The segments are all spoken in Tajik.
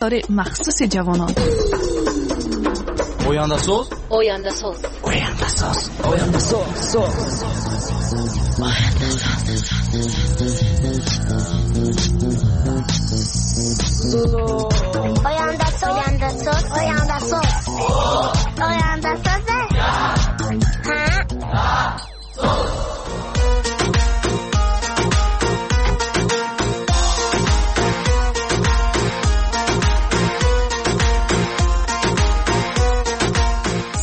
Махсуси ҷавонон. Ояндасоз. Ояндасоз. Ояндасоз. Ояндасоз. Соз. Ояндасоз. Ояндасоз. Ояндасоз. Ояндасоз. Ҳа.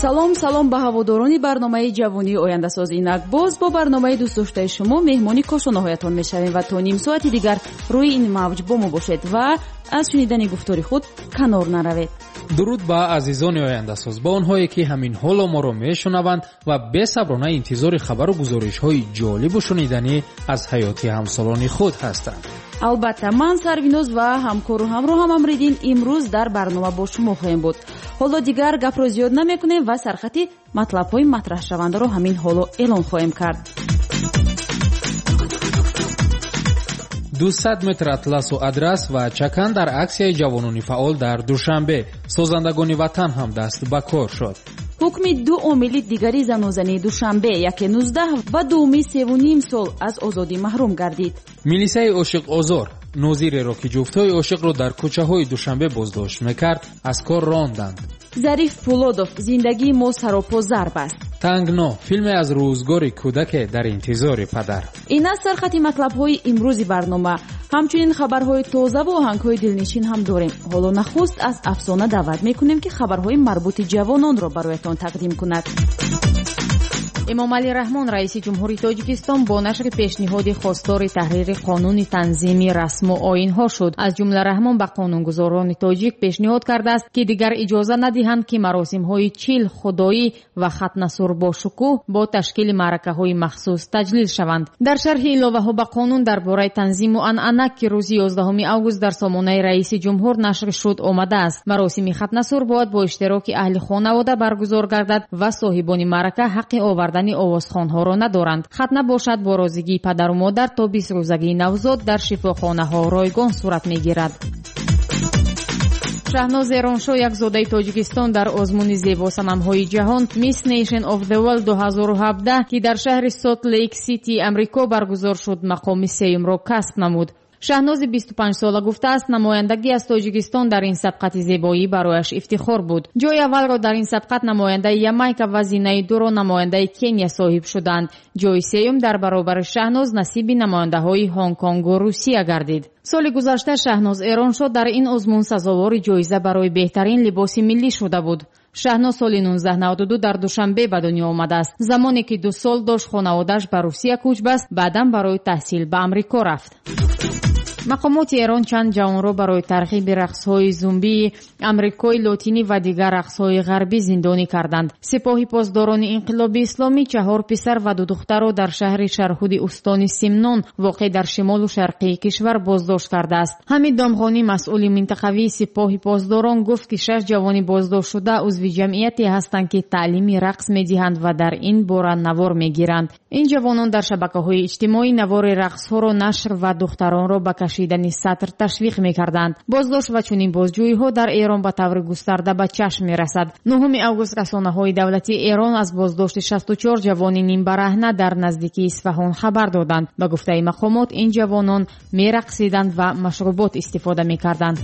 Салом, салом ба ҳаводорони барномаи ҷавонии ояндасоз. Инак боз бо барномаи дӯстдоштаи шумо меҳмони кошонаҳоятон мешавем ва то ним соати дигар рӯи ин мавҷ бо мо бошед ва аз шунидани гуфтори худ канор наравед. Дуруд ба азизони ояндасоз, ба онҳое ки ҳамин ҳоло моро мешунаванд ва бесаброна интизори хабару гузоришҳои ҷолибу шуниданӣ аз ҳаёти ҳамсолони худ ҳастанд. Албатта, ман Сарвиноз ва ҳамкору ҳамроҳам Амриддин имрӯз дар барнома бо шумо хоҳем буд. Ҳоло дигар гапро зиёд намекунем ва сархати матлабҳои матраҳшавандаро ҳамин ҳоло эълон хоҳем кард. 200 метр атласу адрас ва чакан дар аксияи ҷавонони фаъол дар Душанбе. Созандагони ватан ҳам даст ба кор шуд. Ҳукми ду омили дигари занозании Душанбе, яке 19 ва дуюми 3,5 сол аз озодӣ маҳрум гардид. Милисаи ошиқозор нозиреро, ки ҷуфтҳои ошиқро дар кӯчаҳои Душанбе боздошт мекард, аз кор ронданд. Зариф Пулодов: зиндагии мо саропо зарб аст. Тангно, филме аз рӯзгори кӯдаке дар интизори падар. Ин аст сархати матлабҳои имрӯзи барнома. Ҳамчунин хабарҳои тозаву оҳангҳои дилнишин ҳам дорем. Ҳоло нахуст аз Афсона даъват мекунем, ки хабарҳои марбути ҷавононро бароятон тақдим кунад. Эмомалӣ Раҳмон, раиси ҷумҳури Тоҷикистон, бо нашри пешниҳоди хостори таҳрири қонуни танзими расму оинҳо шуд. Аз ҷумла Раҳмон ба қонунгузорони тоҷик пешниҳод кардааст, ки дигар иҷоза надиҳанд, ки маросимҳои чил, худоӣ ва хатнасур бо шукӯҳ бо ташкили маъракаҳои махсус таҷлил шаванд. Дар шарҳи иловаҳо ба қонун дар бораи танзиму анъана, ки рӯзи 11 август дар сомонаи раиси ҷумҳур нашр шуд, омадааст: маросими хатнасур бояд бо иштироки аҳли хонавода баргузор гардад ва соҳибони маърака ҳаққи овардани овозхонҳоро надоранд. Хатна бошад бо розигии падару модар то 20 рӯзагии навзод дар шифохонаҳо ройгон сурат мегирад. Шаҳноз Эроншо, як зодаи Тоҷикистон, дар озмуни зебосанамҳои ҷаҳон Miss Nation of the World 2017, ки дар шаҳри Солт Лейк Сити Амрико баргузор шуд, мақоми сеюмро касб намуд. Шаҳнози 25-сола гуфтааст, намояндагӣ аз Тоҷикистон дар ин сабқати зебоӣ барояш ифтихор буд. Ҷои аввалро дар ин сабқат намояндаи Ямайка ва зинаи дуро намояндаи Кения соҳиб шуданд. Ҷои сеюм дар баробари Шаҳноз насиби намояндаҳои Ҳонконгу Русия гардид. Соли гузашта Шаҳноз Эроншо дар ин озмун сазовори ҷоиза барои беҳтарин либоси миллӣ шуда буд. Шаҳноз соли 1992 дар Душанбе ба дунё омадааст. Замоне ки 2 сол дошт, хонаводааш ба Русия кӯч баст, баъдан барои таҳсил ба Амрико рафт. Мақомоти Эрон чанд ҷавонро барои тарғиби рақсҳои зумбии Амрикои Лотинӣ ва дигар рақсҳои ғарбӣ зиндонӣ карданд. Сипоҳи посдорони инқилоби исломӣ 4 писар ва 2 духтарро дар шаҳри Шарҳуди устони Симнон, воқеъ дар шимолу шарқии кишвар, боздошт кардааст. Ҳамид Домғонӣ, масъули минтақавии сипоҳи посдорон, гуфт, ки 6 ҷавони боздоштшуда узви ҷамъияте ҳастанд, ки таълими рақс медиҳанд ва дар ин бора навор мегиранд. Ин ҷавонон дар шабакаҳои иҷтимоӣ навори рақсҳоро нашр ва духтаронро ба кашидани сатр ташвиқ мекарданд. Боздошт ва чунин бозҷӯиҳо дар Эрон ба таври густарда ба чашм мерасад. 9 август расонаҳои давлатии Эрон аз боздошти 64 ҷавони нимбараҳна дар наздикии Исфаҳон хабар доданд. Ба гуфтаи мақомот, ин ҷавонон мерақсиданд ва машрубот истифода мекарданд.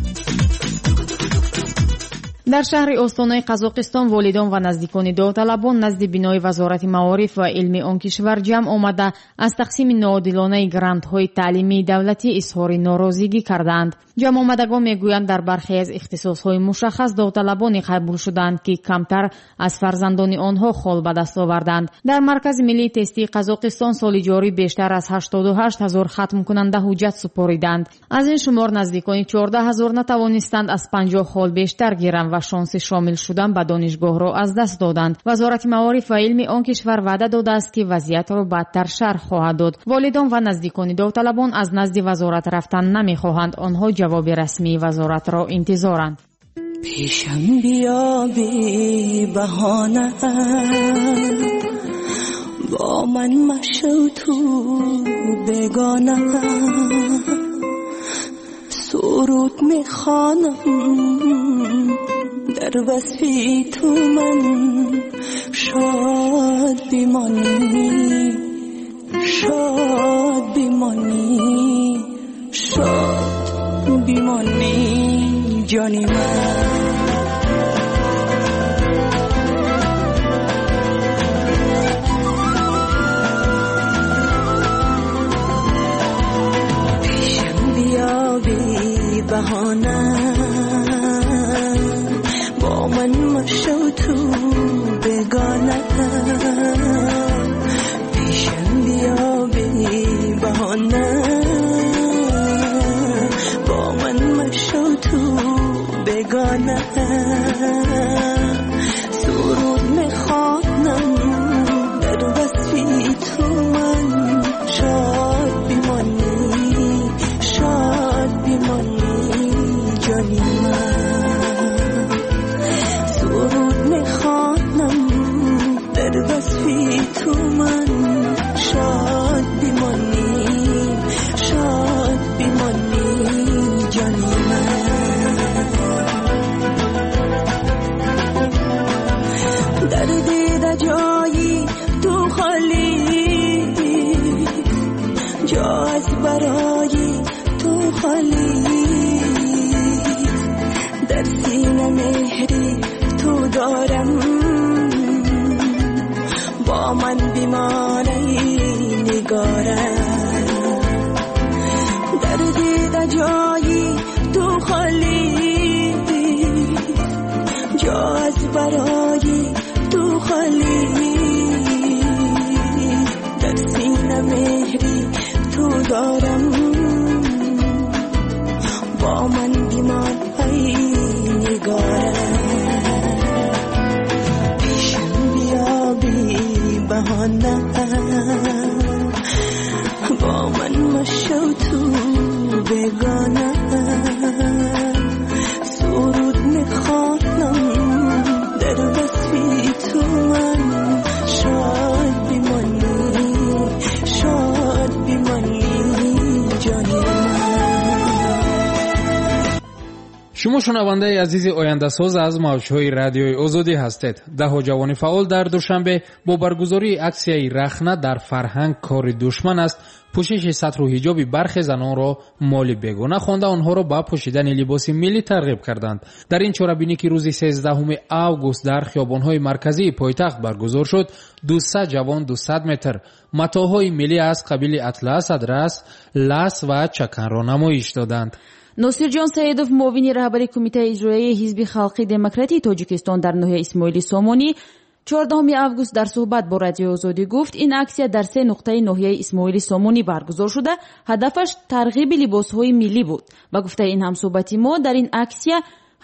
Дар шаҳри Остонаи Қазоқистон волидон ва наздикони довталабон назди бинои Вазорати маориф ва илми он кишвар ҷамъ омада, аз тақсими ноодилонаи грантҳои таълимии давлатӣ изҳори норозигӣ кардаанд. Ҷамъомадагон мегӯянд, дар бархе аз ихтисосҳои мушаххас довталабоне қабул шудаанд, ки камтар аз фарзандони онҳо хол ба даст оварданд. Дар Маркази миллии тестии Қазоқистон соли ҷорӣ бештар аз 88 ҳазор хатмкунанда ҳуҷҷат супориданд. Аз ин шумор наздикони 14 ҳазор натавонистанд аз 50 хол бештар гиранд ва шонси шомил шудан ба донишгоҳро аз даст доданд. Вазорати маориф ва илми он кишвар ваъда додааст, ки вазъиятро бадтар шарҳ хоҳад дод. Волидон ва наздикони довталабон аз назди вазорат рафтан намехоҳанд. Онҳо ҷавоби расмии вазоратро интизоранд. Пешам биё бебаҳона, бо ман машав ту бегона. سرود میخوانم در وصفی تو من شاد بمانی، شاد بمانی، شاد بمانی جانی من. پیشم بیا بی بهانه، با من مشو تو بگانه. پیشم بیا بی بهانه، با من مشو تو بگانه. سرود میخوانم در وصفی تو من شاد بمانی، شاد بمانی جانی من. سرود میخوانم در وصفی تو من شاد بمانی، شاد بمانی جانی من. در دیده جایی تو خالی، جا از برای تو خالی. در سینه مهری تو دارم، با من بیماری نگارم. در دیده جایی تو خالی، جا از برای تو خالی. در سینه مهری تو دارم، با من بیماری نگارم. پیشم بیا بی بهانه، با من مشو تو بگانه. سرود میخوانم در وصفی تو من شاد بمانی، شاد بمانی جانی من. Шумо шунавандаи азизи ояндасоз аз мавҷҳои радиои озодӣ ҳастед. Даҳо ҷавони фаъол дар Душанбе бо баргузории аксияи рахна дар фарҳанг кори душман аст пӯшиши сатру ҳиҷоби бархе занонро моли бегона хонда онҳоро ба пӯшидани либоси миллӣ тарғиб карданд. Дар ин чорабинӣ ки рӯзи 13 август дар хиёбонҳои марказии пойтахт баргузор шуд, 200 ҷавон 200 метр матоъҳои миллӣ аз қабили атлас, адрас, лас ва чаканро намоиш доданд. Носирҷон Саидов, муовини раҳбари Кумитаи иҷроияи Ҳизби халқи демократии Тоҷикистон дар ноҳияи Исмоили Сомонӣ 14 август дар суҳбат бо Радиои Озодӣ гуфт, ин аксия дар се нуқтаи ноҳияи Исмоили Сомонӣ баргузор шуда, ҳадафаш тарғиби либосҳои миллӣ буд. Ба гуфтаи ин ҳамсӯҳбати мо, дар ин аксия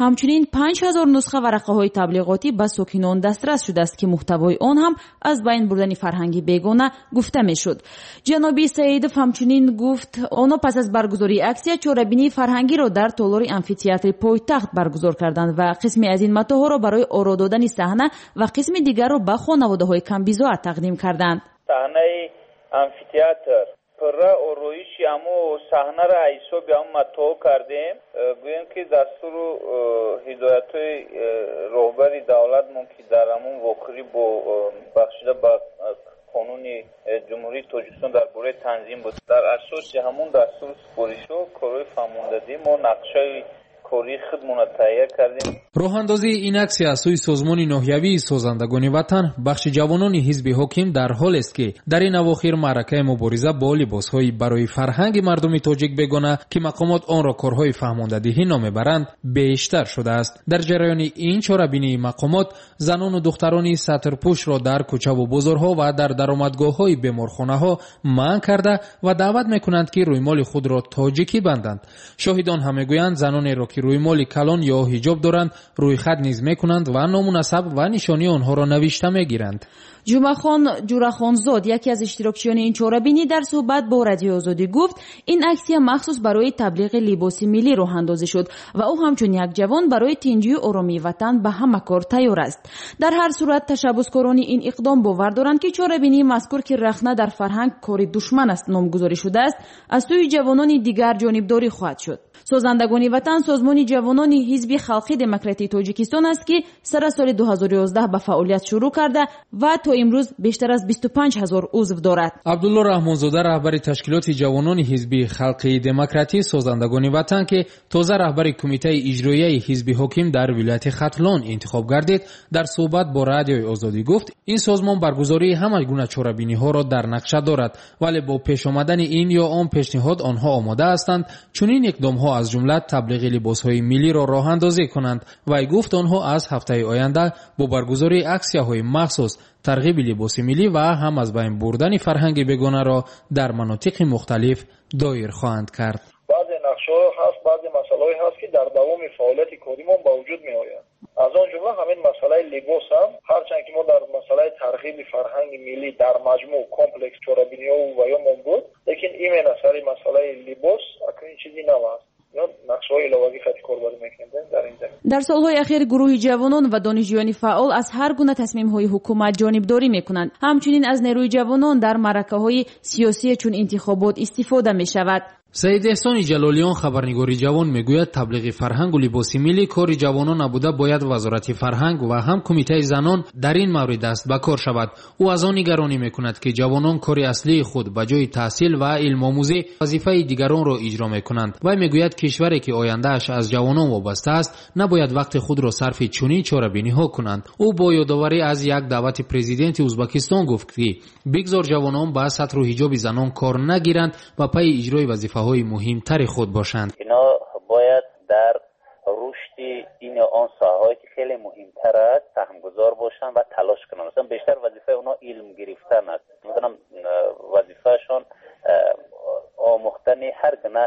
ҳамчунин 5000 нусха варақаҳои таблиғотӣ ба сокинон дастрас шудааст, ки муҳтавои он ҳам аз байн бурдани фарҳанги бегона гуфта мешуд. Ҷаноби Саидов ҳамчунин гуфт, онҳо пас аз баргузории аксия чорабинии фарҳангиро дар толори амфитеатри пойтахт баргузор карданд ва қисме аз ин матоъҳоро барои оро додани саҳна ва қисми дигарро ба хонаводаҳои камбизоат тақдим карданд. Саҳнаи амфитеатр пурра ороиши ҳамо саҳнара ҳисоби ҳамо матоъ кардем. Гӯем ки дастуру ҳидоятҳои роҳбари давлатмон ки дар ҳамон вохӯрӣ бо бахшида ба қонуни Ҷумҳурии Тоҷикистон дар бораи танзим буд. Дар асоси ҳамон дастуру супоришҳо корҳои фаҳмондадӣ мо нақшаи кории худмонро таҳия кардем. Роҳандозии ин аксия аз сӯи созмони ноҳиявии созандагони ватан бахши ҷавонони ҳизби ҳоким дар ҳолест ки дар ин авохир маъракаи мубориза бо либосҳои барои фарҳанги мардуми тоҷик бегона ки мақомот онро корҳои фаҳмондадиҳӣ номебаранд бештар шудааст. Дар ҷараёни ин чорабинии мақомот занону духтарони сатрпӯшро дар кӯчаву бозорҳо ва дар даромадгоҳҳои беморхонаҳо манъ карда ва даъват мекунанд ки рӯймоли худро тоҷикӣ банданд. Шоҳидон ҳам мегӯянд занонеро ки рӯймоли калон ё ҳиҷоб доранд рӯйхат низ мекунанд ва ному насаб ва нишонии онҳоро навишта мегиранд. Ҷумъахон Ҷурахонзод, яке аз иштирокчиёни ин чорабинӣ, дар суҳбат бо Радиои Озодӣ гуфт, ин аксия махсус барои таблиғи либоси миллӣ роҳандозӣ шуд ва ӯ ҳамчун як ҷавон барои тинҷию оромии ватан ба ҳама кор тайёр аст. Дар ҳар сурат ташаббускорони ин иқдом бовар доранд, ки чорабинии мазкур, ки рахна дар фарҳанг кори душман аст номгузорӣ шудааст, аз сӯи ҷавонони дигар ҷонибдорӣ хоҳад шуд. Созандагони ватан созмони ҷавонони Ҳизби халқи демократии Тоҷикистон аст, ки сара соли 2011 ба фаъолият шурӯъ карда ва то имрӯз бештар аз 25 ҳазор узв дорад. Абдулло Раҳмонзода, раҳбари ташкилоти ҷавонони Ҳизби халқи демократӣ Созандагони ватан, ки тоза раҳбари кумитаи иҷроияи ҳизби ҳоким дар вилояти Хатлон интихоб гардид, дар суҳбат бо Радиои Озодӣ гуфт, ин созмон баргузории ҳама гуна чорабиниҳоро дар нақша дорад, вале бо пеш омадани ин ё он пешниҳод онҳо омода ҳастанд чунин иқдомҳо аз ҷумла таблиғи либосҳои миллиро роҳандозӣ кунанд. Вай гуфт, онҳо аз ҳафтаи оянда бо баргузории аксияҳои махсус тарғиби либоси миллӣ ва ҳам аз байн бурдани фарҳанги бегонаро дар манотиқи мухталиф доир хоҳанд кард. Баъзе нақшаҳо ҳаст, баъзе масъалаҳое ҳаст, ки дар давоми фаъолияти коримон ба вуҷуд меояд. Аз он ҷумла ҳамин масъалаи либос ҳам, ҳарчанд ки мо дар масъалаи тарғиби фарҳанги миллӣ дар маҷмӯъ комплекс чорабиниҳо ва ёмон буд, лекин именно сари масъалаи либос акнун чизи нав аст. Нақшаҳои иловагӣ хати корбарӣ мекунем дар ин замина. Дар солҳои ахир гурӯҳи ҷавонон ва донишҷӯёни фаъол аз ҳар гуна тасмимҳои ҳукумат ҷонибдорӣ мекунанд. Ҳамчунин аз нерӯи ҷавонон дар маъракаҳои сиёсие чун интихобот истифода мешавад. Саид Эҳсони Ҷалолиён, хабарнигори ҷавон, мегӯяд, таблиғи фарҳангу либоси миллӣ кори ҷавонон набуда, бояд Вазорати фарҳанг ва ҳам Кумитаи занон дар ин маврид даст ба кор шавад. Ӯ аз он нигаронӣ мекунад, ки ҷавонон кори аслии худ ба ҷои таҳсил ва илмомӯзӣ вазифаи дигаронро иҷро мекунанд. Вай мегӯяд, кишваре ки ояндааш аз ҷавонон вобаста аст, набояд вақти худро сарфи чунин чорабиниҳо кунанд. Ӯ бо ёдоварӣ аз як даъвати президенти Узбакистон гуфт, ки бигзор ҷавонон ба сатру ҳиҷоби занон кор нагиранд ва пайи иҷрои вазифаҳои муҳимтари худ бошанд. Ино бояд дар рушди ин ё он соҳаҳое ки хеле муҳимтар аст саҳмгузор бошанд ва талош кунанд. Масалан, бештар вазифаи онҳо илм гирифтан аст. Масалан, вазифаашон омӯхтани ҳар гуна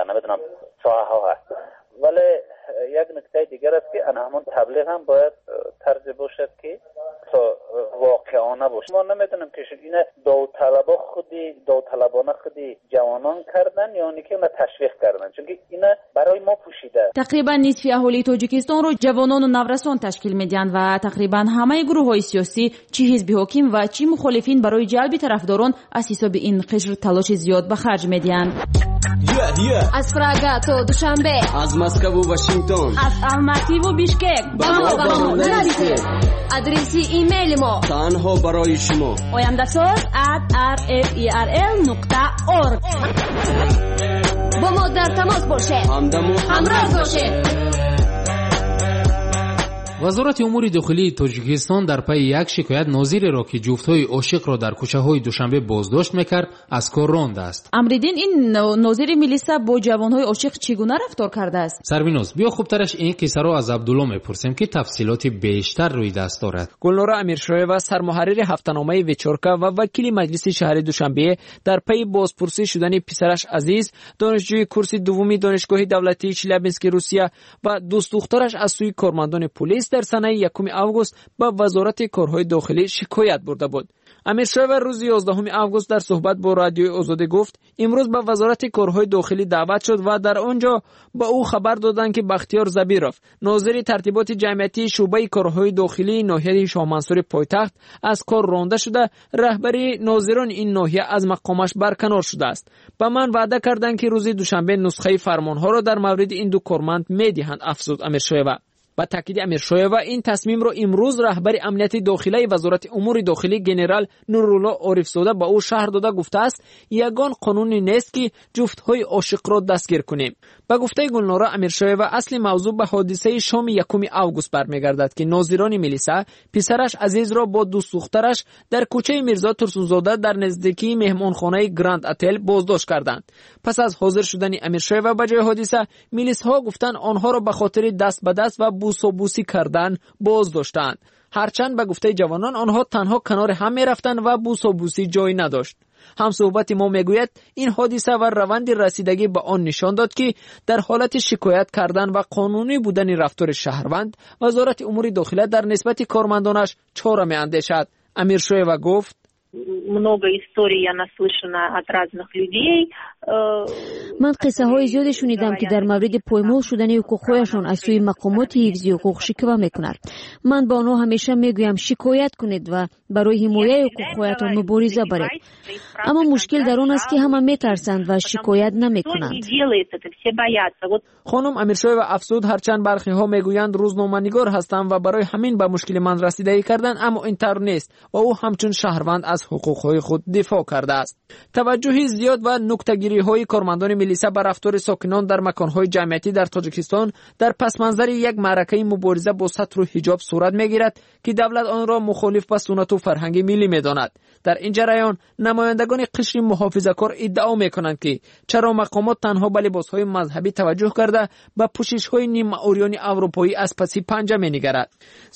намедонам соҳаҳо ҳаст. Вале як нуктаи дигар аст, ки ана ҳамон таблиғ ҳам бояд тарзе бошад, ки то воқеона бошад. Мо намедонем, ки ина довталабона худи ҷавонон кардан ё ин ки она ташвиқ кардан, чунки ина барои мо пӯшида. Тақрибан нисфи аҳолии Тоҷикистонро ҷавонону наврасон ташкил медиҳанд ва тақрибан ҳамаи гурӯҳҳои сиёсӣ, чӣ ҳизби ҳоким ва чӣ мухолифин, барои ҷалби тарафдорон аз ҳисоби ин қишр талоши зиёд ба харҷ медиҳанд. Аз Прага то Душанбе, аз Москву Вашингтон, аз Алмативу Бишкек ба мо нависед. Адреси имейли мо танҳо барои шумо: oyandasоз@rferl.org. Бо мо дар тамос бошед, ҳамдаму ҳамроз бошед. Вазорати умури дохилии Тоҷикистон дар пайи як шикоят нозиреро, ки ҷуфтҳои ошиқро дар кӯчаҳои Душанбе боздошт мекард, аз кор рондааст. Амриддин, ин нозири милиса бо ҷавонҳои ошиқ чӣ гуна рафтор кардааст? Сарвиноз, биё хубтараш ин қиссаро аз Абдулло мепурсем, ки тафсилоти бештар рӯи даст дорад. Гулнора Амиршоева, сармуҳаррири ҳафтаномаи Вечорка ва вакили Маҷлиси шаҳри Душанбе, дар пайи бозпурсӣ шудани писараш Азиз, донишҷӯи курси дуввуми Донишгоҳи давлатии Челябински Русия, ва дӯстдухтараш аз сӯи кормандони полис дар санаи 1 август ба Вазорати корҳои дохилӣ шикоят бурда буд. Амиршоева рӯзи 11 август дар суҳбат бо Радиои Озодӣ гуфт, имрӯз ба Вазорати корҳои дохилӣ даъват шуд ва дар он ҷо ба ӯ хабар доданд, ки Бахтиёр Забиров, нозири тартиботи ҷамъиятии шӯъбаи корҳои дохилии ноҳияи Шоҳмансури пойтахт, аз кор ронда шуда, раҳбари нозирони ин ноҳия аз мақомаш барканор шудааст. Ба ман ваъда карданд, ки рӯзи душанбе нусхаи фармонҳоро дар мавриди ин ду корманд медиҳанд, афзуд Амиршоева. Ба таъкиди Амиршоева, ин тасмимро имрӯз раҳбари амнияти дохилаи Вазорати умури дохилӣ генерал Нурулло Орифзода ба ӯ шаҳр дода гуфтааст, ягон қонуне нест, ки ҷуфтҳои ошиқро дастгир кунем. Ба гуфтаи Гулнора Амиршоева, асли мавзӯъ ба ҳодисаи шоми 1 август бармегардад, ки нозирони милиса писараш Азизро бо дӯстдухтараш дар кӯчаи Мирзо Турсунзода дар наздикии меҳмонхонаи Гранд Отел боздошт карданд. Пас аз ҳозир шудани Амиршоева ба ҷои ҳодиса, милисҳо гуфтанд, онҳоро ба хотири даст ба даст ва бусобусӣ кардан боздоштаанд. Ҳарчанд ба гуфтаи ҷавонон, онҳо танҳо канори ҳам мерафтанд ва бусобусӣ ҷой надошт. Ҳамсуҳбати мо мегӯяд, ин ҳодиса ва раванди расидагӣ ба он нишон дод, ки дар ҳолати шикоят кардан ва қонунӣ будани рафтори шаҳрванд, Вазорати умури дохила дар нисбати кормандонаш чора меандешад. Амиршоева гуфт: Много историй я наслышана от разных людей. Ман қиссаҳои зиёде шунидам, ки дар мавриди поймол шудани ҳуқуқҳояшон аз сӯи мақомоти ҳифзи ҳуқуқ шиква мекунад. Ман ба онҳо ҳамеша мегӯям, шикоят кунед ва барои ҳимояи ҳуқуқҳоятон мубориза баред. Аммо мушкил дар он аст, ки ҳама метарсанд ва шикоят намекунанд. Хонум Амиршоева афзуд, ҳарчанд бархиҳо мегӯянд рӯзноманигор ҳастам ва барои ҳамин ба мушкили ман расидагӣ карданд, аммо ин тавр нест ва ӯ ҳамчун шаҳрванд аз ҳуқуқҳои худ дифоъ кардааст. Таваҷҷӯҳи зиёд ва нуктагириҳои кормандони милиса ба рафтори сокинон дар маконҳои ҷамъиятӣ дар Тоҷикистон дар пасманзари як маъракаи мубориза бо сатру ҳиҷоб сурат мегирад, ки давлат онро мухолиф ба суннату фарҳанги миллӣ медонад. Дар ин ҷараён намояндагони қишри муҳофизакор иддао мекунанд, ки чаро мақомот танҳо ба либосҳои мазҳабӣ таваҷҷӯҳ карда ба пӯшишҳои нимаурёни аврупоӣ аз паси панҷа менигарад.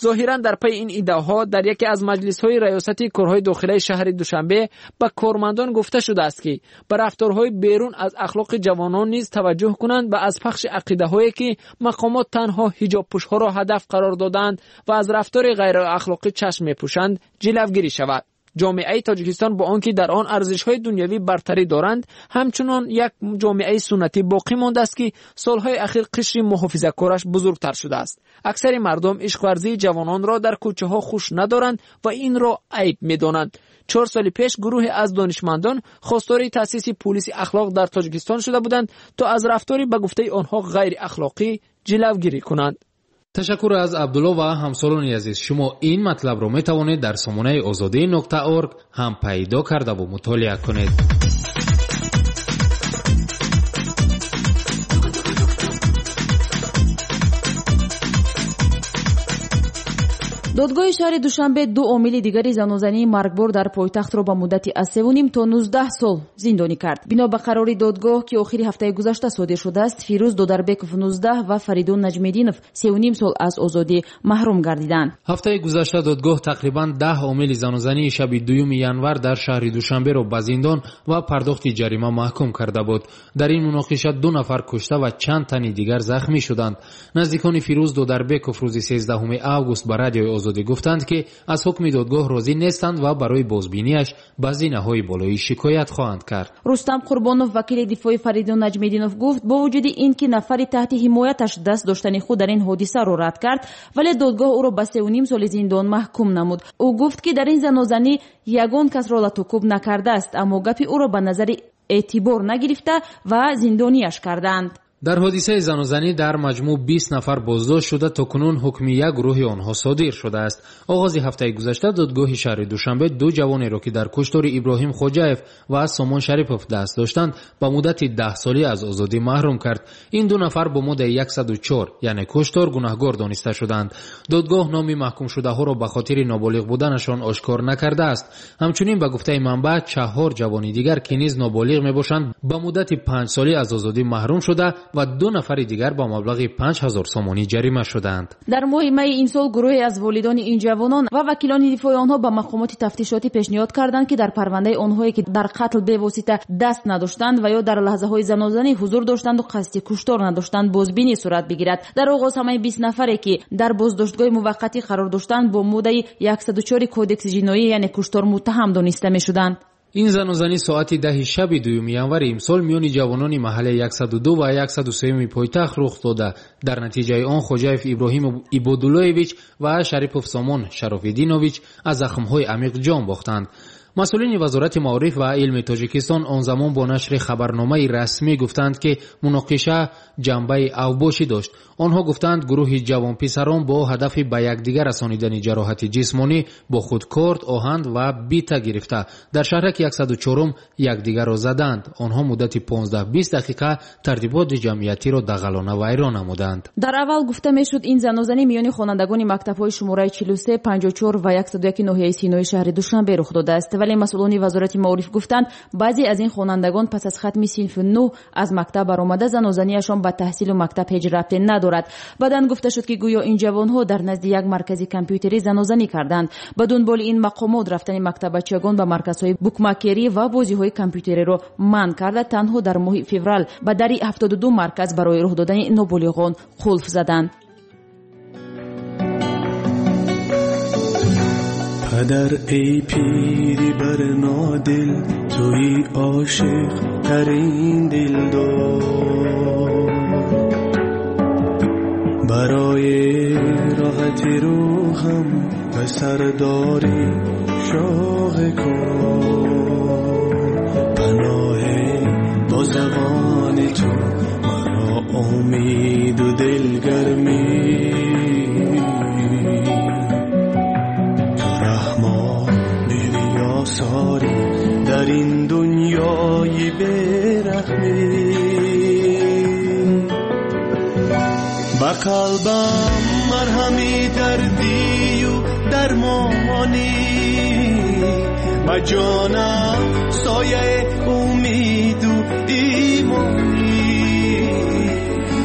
Зоҳиран дар пайи ин иддаоҳо дар яке аз маҷлисҳои раёсати корҳои дохилаи шаҳри Душанбе ба кормандон гуфта шудааст, ки ба рафторҳои берун аз ахлоқи ҷавонон низ таваҷҷӯҳ кунанд ва аз пахши ақидаҳое, ки мақомот танҳо ҳиҷобпӯшҳоро ҳадаф қарор додаанд ва аз рафтори ғайриахлоқӣ чашм мепӯшанд, ҷилавгирӣ шавад. Ҷомеаи Тоҷикистон бо он ки дар он арзишҳои дунявӣ бартарӣ доранд, ҳамчунон як ҷомеаи суннатӣ боқӣ мондааст, ки солҳои ахир қишри муҳофизакораш бузургтар шудааст. Аксари мардум ишқварзии ҷавононро дар кӯчаҳо хуш надоранд ва инро айб медонанд. 4 соли пеш гурӯҳе аз донишмандон хостори таъсиси пулиси ахлоқ дар Тоҷикистон шуда буданд, то аз рафтори ба гуфтаи онҳо ғайриахлоқӣ ҷилавгирӣ кунанд. Ташаккур аз Абдулло ва ҳамсолони азиз. Шумо ин матлабро метавонед дар сомонаи озодӣ.org ҳам пайдо кардаву мутолиа кунед. Додгоҳи шаҳри Душанбе ду омили дигари занозании маргбор дар пойтахтро ба муддати аз 3,5 то 19 сол зиндонӣ кард. Бино ба қарори додгоҳ, ки охири ҳафтаи гузашта содир шудааст, Фирӯз Додарбеков 19 ва Фаридун Наҷмеддинов 3,5 сол аз озодӣ маҳрум гардиданд. Ҳафтаи гузашта додгоҳ тақрибан 10 омили занозании шаби 2 январ дар шаҳри Душанберо ба зиндон ва пардохти ҷарима маҳкум карда буд. Дар ин муноқиша 2 нафар кушта ва чанд тани дигар захмӣ шуданд. Наздикони Фирӯз Додарбеков рӯзи 13 август ба радиои Озодӣ гуфтанд, ки аз ҳукми додгоҳ розӣ нестанд ва барои бозбинияш ба зинаҳои болоӣ шикоят хоҳанд кард. Рустам Қурбонов, вакили дифои Фаридун Наҷмеддинов, гуфт, бо вуҷуди ин ки нафари таҳти ҳимояташ даст доштани худ дар ин ҳодисаро рад кард, вале додгоҳ ӯро ба 3,5 соли зиндон маҳкум намуд. Ӯ гуфт, ки дар ин занозанӣ ягон касро латукӯб накардааст, аммо гапи ӯро ба назари эътибор нагирифта ва зиндонияш карданд. Дар ҳодисаи занозанӣ дар маҷмӯъ 20 нафар боздошт шуда, то кунун ҳукми як гурӯҳи онҳо содир шудааст. Оғози ҳафтаи гузашта додгоҳи шаҳри Душанбе ду ҷавонеро, ки дар куштори Иброҳим Хоҷаев ва Сомон Шарипов даст доштанд, ба муддати 10 солӣ аз озодӣ маҳрум кард. Ин ду нафар бо моддаи 104, яъне куштор, гунаҳгор дониста шуданд. Додгоҳ номи маҳкумшудаҳоро ба хотири ноболиғ буданашон ошкор накардааст. Ҳамчунин ба гуфтаи манбаъ, 4 ҷавони дигар, ки низ ноболиғ мебошанд, ба муддати 5 солӣ аз озодӣ маҳрум шуда ва 2 нафари дигар ба маблағи 5000 сомонӣ ҷарима шуданд. Дар моҳи майи ин сол гурӯҳе аз волидони ин ҷавонон ва вакилони дифои онҳо ба мақомоти тафтишотӣ пешниҳод карданд, ки дар парвандаи онҳое, ки дар қатл бевосита даст надоштанд ва ё дар лаҳзаҳои занозанӣ ҳузур доштанду қасди куштор надоштанд, бозбинӣ сурат бигирад. Дар оғоз ҳамаи 20 нафаре, ки дар боздоштгоҳи муваққатӣ қарор доштанд, бо моддаи 104 кодекси ҷиноӣ, яъне куштор, муттаҳам дониста мешуданд. Ин занозанӣ соати 10 шаби 2 январи имсол миёни ҷавонони маҳаллаи 102 ва 103 пойтахт рух дода. Дар натиҷаи он Хоҷаев Иброҳим Ибодуллоевич ва Шарипов Сомон Шарофиддинович аз захмҳои амиқ ҷон бохтанд. Масъулини Вазорати маориф ва илми Тоҷикистон он замон бо нашри хабарномаи расмӣ гуфтанд, ки муноқиша ҷанбаи авбошӣ дошт. Онҳо гуфтанд, гурӯҳи ҷавонписарон бо ҳадафи ба якдигар расонидани ҷароҳати ҷисмонӣ бо худ корд, оҳан ва бита гирифта дар шаҳраки 104 якдигарро заданд. Онҳо муддати 15-20 дақиқа тартиботи ҷамъиятиро дағалона вайрон намуданд. Дар аввал гуфта мешуд, ин занозанӣ миёни хонандагони мактабҳои шумораи 43, 54 ва 101 ноҳияи Синои шаҳри Душанбе рух додааст. Вале масъулони Вазорати маориф гуфтанд, баъзе аз ин хонандагон пас аз хатми синфи 9 аз мактаб баромада занозанияшон ба таҳсилу мактаб ҳеҷ рабте надорад. Баъдан гуфта шуд, ки гӯё ин ҷавонҳо дар назди як маркази компютерӣ занозанӣ карданд. Ба дунболи ин мақомот рафтани мактаббачагон ба марказҳои букмакерӣ ва бозиҳои компютериро манъ карда, танҳо дар моҳи феврал ба дари 72 марказ барои роҳ додани ноболиғон қулф заданд. Падар эй пири барнодил, туи ошиқ тарин дилдор, барои роҳати рӯҳам ба сардори шоҳ кор, паноҳ бо забони ту маро умеду дилгармӣ, ту раҳмони риёсорӣ дар ин дунёи бераҳмӣ, ба қалбам марҳами дардию дармонӣ, ба ҷонам сояи умеду имонӣ,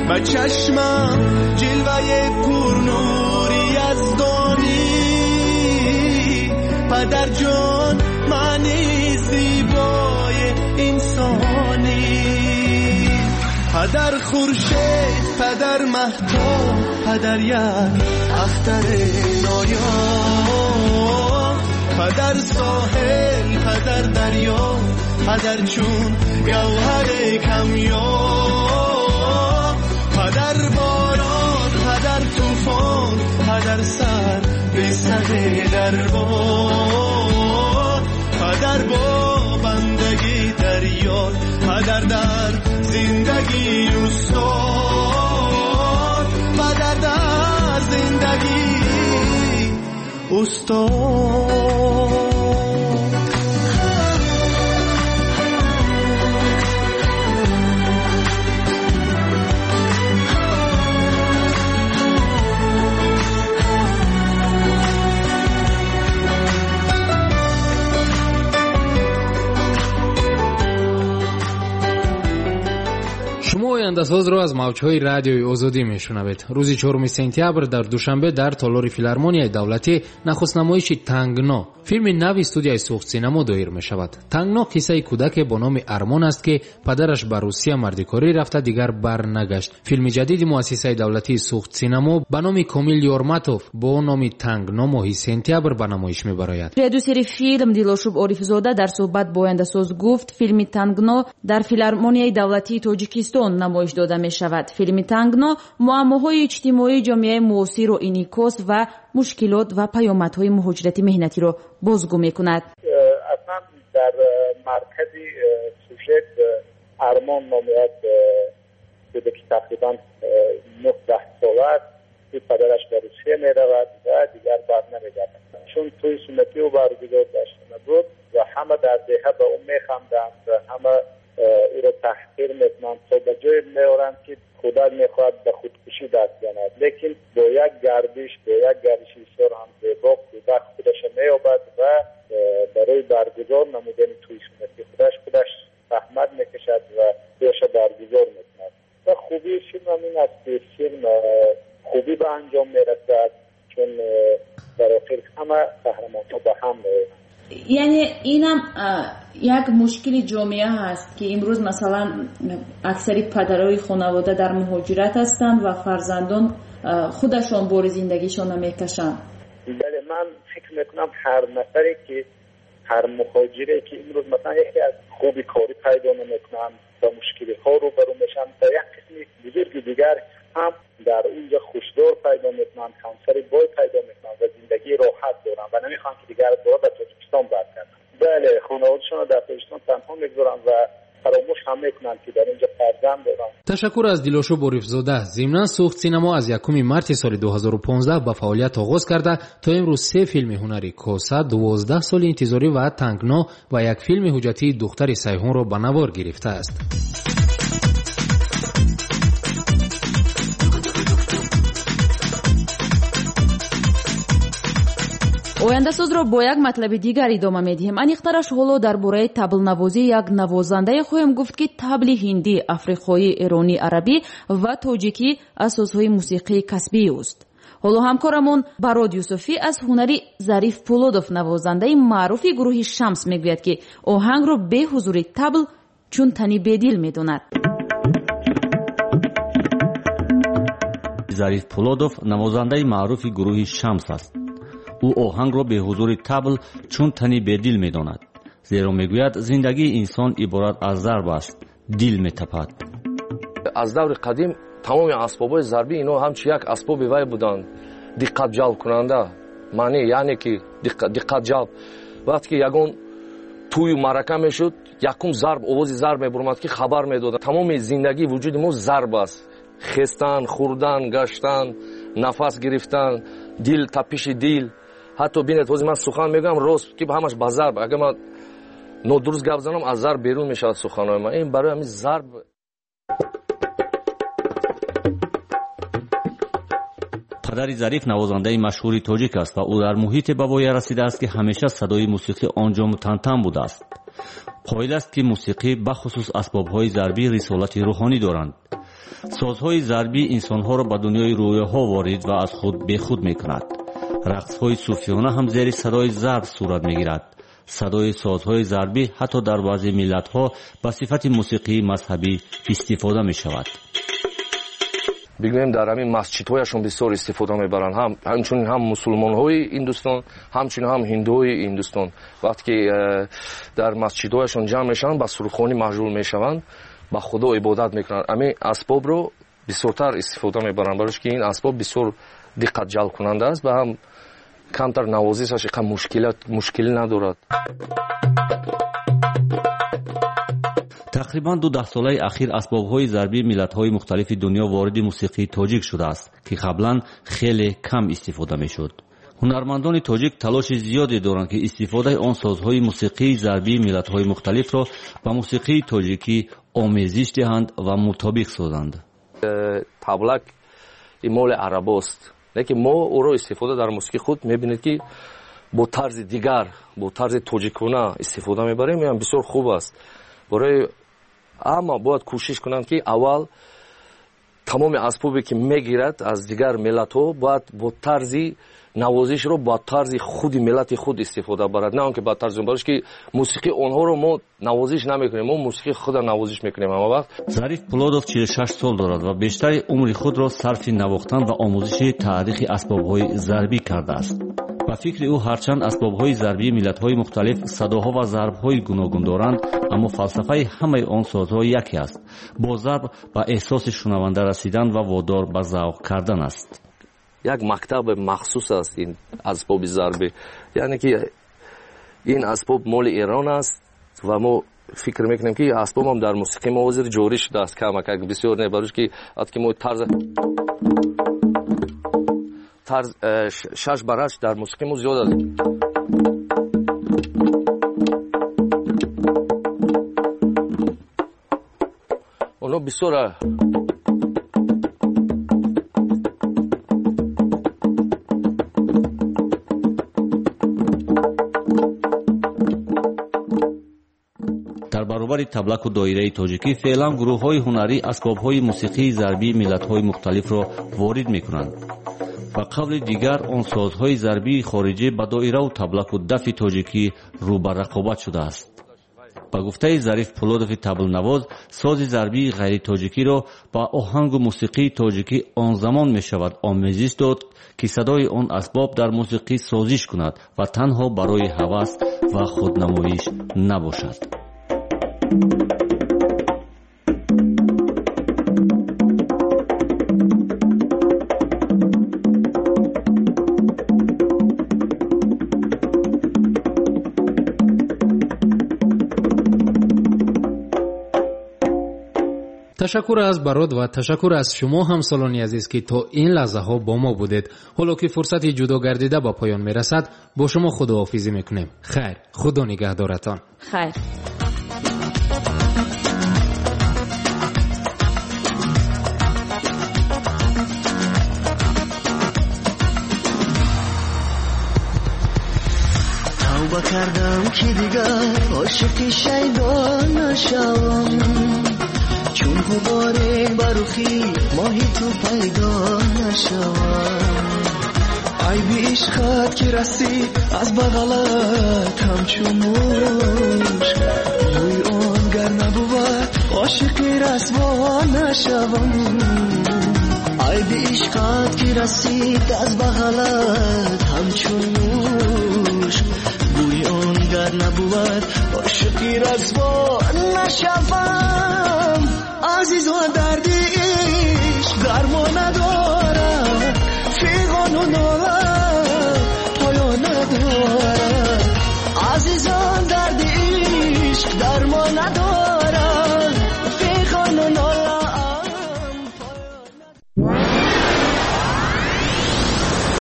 ба чашмам ҷилваи пурнури яздонӣ, падарҷон маъни зебои инсонӣ, падар хуршед, падар маҳтоб, падар як ахтари ноёб, падар соҳил, падар дарё, падар чун гавҳари камёб, падар борон, падар тӯфон, падар сар به سر دربار، падар бо бандагӣ дарёр, падар дар зиндагӣ устод, падар дар зиндагӣ устод. Шумо ояндасозро аз мавҷҳои радиои Озодӣ мешунавед. Рӯзи 4 сентябр дар Душанбе дар толори филармонияи давлатӣ нахустнамоиши Тангно, филми нави студияи Суғдсинамо доир мешавад. Тангно қиссаи кӯдаке бо номи Армон аст, ки падараш ба Русия мардикорӣ рафта дигар барнагашт. Филми ҷадиди муассисаи давлатии Суғдсинамо ба номи Комил Ёрматов бо номи Тангно моҳи сентябр ба намоиш мебарояд. Продюсери филм Дилошуб Орифзода дар суҳбат бо ояндасоз гуфт, филми Тангно дар филармонияи давлатии Тоҷикистон намоиш дода мешавад. Филми Тангно муаммоҳои иҷтимоии ҷомеаи муосирро инъикос ва мушкилот ва паёмадҳои муҳоҷирати меҳнатиро бозгӯ мекунад. Аслан дар маркази сюжет Армон номи як кӯдаки тақрибан 9-10 сола аст, ки падараш ба Русия меравад ва дигар бар намегардад. Чун тӯи суннатӣ ӯ баргузор дошта набуд ва ҳама дар деҳа ба ӯ механданд ва ҳама ӯро таҳқир мекунанд, то ба ҷое меоранд, ки кӯдак мехоҳад ба худкушӣ даст занад. Лекин бо як гардиш, бо як гардиши бисёр ҳам зебо кӯдак худашро меёбад ва барои баргузор намудани тӯи суннатӣ худаш заҳмат мекашад ва худашро баргузор мекунад. Ва хубии филм ҳам ин аст, ки филм хубӣ ба анҷом мерасад, чун дар охир ҳама қаҳрамонҳо ба ҳам меоянд. Яъне инам як мушкили ҷомеа ҳаст, ки имрӯз масалан аксари падарои хонавода дар муҳоҷират ҳастанд ва фарзандон худашон бори зиндагишонро мекашанд. Бале, ман фикр мекунам ҳар нафаре ки, ҳар муҳоҷире ки имрӯз масалан яке аз хуби корӣ пайдо намекунанд, ба мушкилиҳо рӯбарӯ мешаванд, ба як қисми бузурги дигар ҳам дар унҷо хушдор пайдо мекунанд, ҳамсари бой пайдо мекунанд ва зиндагии роҳат доранд ва намехоҳанд, ки дигар бора ба Тоҷикистон баргарданд. Бале, хонаводашонро дар Тоҷикистон танҳо мегузоранд ва фаромӯш ҳам мекунанд, ки дар инҷо фарзанд доранд. Ташаккур аз Дилошуб Орифзода. Зимнан Суғдсинамо аз 1 марти соли 2015 ба фаъолият оғоз карда то имрӯз 3 филми ҳунари Коса, 12 соли интизорӣ ва Тангно ва як филми ҳуҷҷатии Духтари Сайҳунро ба навор гирифтааст. Ояндасозро бо як матлаби дигар идома медиҳем. Аниқтараш ҳоло дар бораи таблнавозии як навозандае хоҳем гуфт, ки табли ҳиндӣ, африқоӣ, эронӣ, арабӣ ва тоҷикӣ асосҳои мусиқии касбии ӯст. Ҳоло ҳамкорамон Барод Юсуфӣ аз ҳунари Зариф Пулодов, навозандаи маъруфи гурӯҳи Шамс, мегӯяд, ки оҳангро бе ҳузури табл чун тани бедил медонад. Зариф Пулодов навозандаи маъруфи гурӯҳи Шамс аст. Ӯ оҳангро беҳузури табл чун тани бедил медонад, зеро мегӯяд, зиндагии инсон иборат аз зарб аст, дил метапад. Аз даври қадим тамоми асбобҳои зарбӣ ино ҳамчун як асбоби вай буданд, диққатҷалбкунанда, маъне яъне ки диққатҷалб. Вақте ки ягон тӯю маърака мешуд, якум зарб, овози зарб мебуромад, ки хабар медоданд. Тамоми зиндагии вуҷуди мо зарб аст: хестан, хӯрдан, гаштан, нафас гирифтан, дил, тапиши дил. Ҳатто бинед, ҳозир ман сухан мегӯям, рост ки ҳамаш ба зарб. Агар ман нодуруст гап занам, аз зарб берун мешавад суханҳои ман. Ин барои ҳамин зарб. Падари Зариф навозандаи машҳури тоҷик аст ва ӯ дар муҳите ба воя расидааст, ки ҳамеша садои мусиқӣ он ҷо мутантан будааст. Қоил аст, ки мусиқӣ, бахусус асбобҳои зарбӣ, рисолати рӯҳонӣ доранд. Созҳои зарбӣ инсонҳоро ба дунёи рӯёҳо ворид ва аз худ бехуд мекунад. Рақсҳои суфиёна ҳам зери садои зарб сурат мегирад. Садои созҳои зарбӣ ҳатто дар баъзе миллатҳо ба сифати мусиқии мазҳабӣ истифода мешавад. Бигӯем, дар ҳамин масҷидҳояшон бисёр истифода мебаранд, ҳамчунин ҳам мусулмонҳои Ҳиндустон, ҳамчунин ҳам ҳиндуҳои Ҳиндустон. Вақте ки дар масҷидҳояшон ҷамъ мешаванд, ба сурудхонӣ машғул мешаванд, ба Худо ибодат мекунанд, ҳамин асбобро бисёртар истифода мебаранд, барои ки ин асбоб бисёр диққатҷалбкунанда аст ва ҳам камтар навозишаш иқа мушкилӣ надорад. Тақрибан 2 даҳсолаи ахир асбобҳои зарбии миллатҳои мухталифи дунё вориди мусиқии тоҷик шудааст, ки қаблан хеле кам истифода мешуд. Ҳунармандони тоҷик талоши зиёде доранд, ки истифодаи он созҳои мусиқии зарбии миллатҳои мухталифро ба мусиқии тоҷикӣ омезиш диҳанд ва мутобиқ созанд. Таблак моли арабост, лекин мо ӯро истифода дар мусиқии худ мебинед, ки бо тарзи дигар, бо тарзи тоҷикона истифода мебарем. Ин бисёр хуб аст. Барои ҳама бояд кӯшиш кунанд, ки аввал тамоми асбобе ки мегирад аз дигар миллатҳо, бояд бо тарзи навозишро бо тарзи худи миллати худ истифода барад, на он ки ба тарзи, барои ки мусиқии онҳоро мо навозиш намекунем, мо мусиқии худро навозиш мекунем ҳама вақт. Зариф Пулодов 46 сол дорад ва бештари умри худро сарфи навохтан ва омӯзиши таърихи асбобҳои зарбӣ кардааст. Ба фикри ӯ, ҳарчанд асбобҳои зарбии миллатҳои мухталиф садоҳо ва зарбҳои гуногун доранд, аммо фалсафаи ҳамаи он созҳо яке аст: бо зарб ба эҳсоси шунаванда расидан ва водор ба завқ кардан аст. Як мактаби махсус аст ин асбоби зарбӣ, яъне ки ин асбоб моли Эрон аст ва мо фикр мекунем, ки асбобам дар мусиқии мо ҳозир ҷорӣ шудааст, камакак, бисёр не, барои ки ки мо тарз тарз шаш бар ҳашт дар мусиқии мо зиёд аст. Оно бисёр. Дар баробари таблаку доираи тоҷикӣ феълан гурӯҳҳои ҳунарӣ асбобҳои мусиқии зарбии миллатҳои мухталифро ворид мекунанд. Ба қавли дигар, он созҳои зарбии хориҷӣ ба доираву таблаку дафи тоҷикӣ рӯ ба рақобат шудааст. Ба гуфтаи Зариф Пулодови таблнавоз, сози зарбии ғайритоҷикиро ба оҳангу мусиқии тоҷикӣ он замон мешавад омезиш дод, ки садои он асбоб дар мусиқӣ созиш кунад ва танҳо барои ҳавас ва худнамоиш набошад. Ташаккур аз Барод ва ташаккур аз шумо, ҳамсолони азиз, ки то ин лаҳзаҳо бо мо будед. Ҳоло ки фурсати ҷудо гардида ба поён мерасад, бо шумо худоҳофизӣ мекунем. Хайр, Худо нигаҳдоратон. Хайр. Тавба кардам, ки дигар ошиқи шайдо нашавам, чун ғуборе ба рухи моҳи ту пайдо нашавам. Айби ишқат ки расид аз бағалат ҳамчун мушк, рӯи он гар набувад, ошиқи расво нашавам. Айби ишқат ки расид аз бағалат ҳамчун мушк, бӯи он гар набувад ошиқи расво нашавам. Азизо, дарди ишқ дармон надорад, фиғону нола.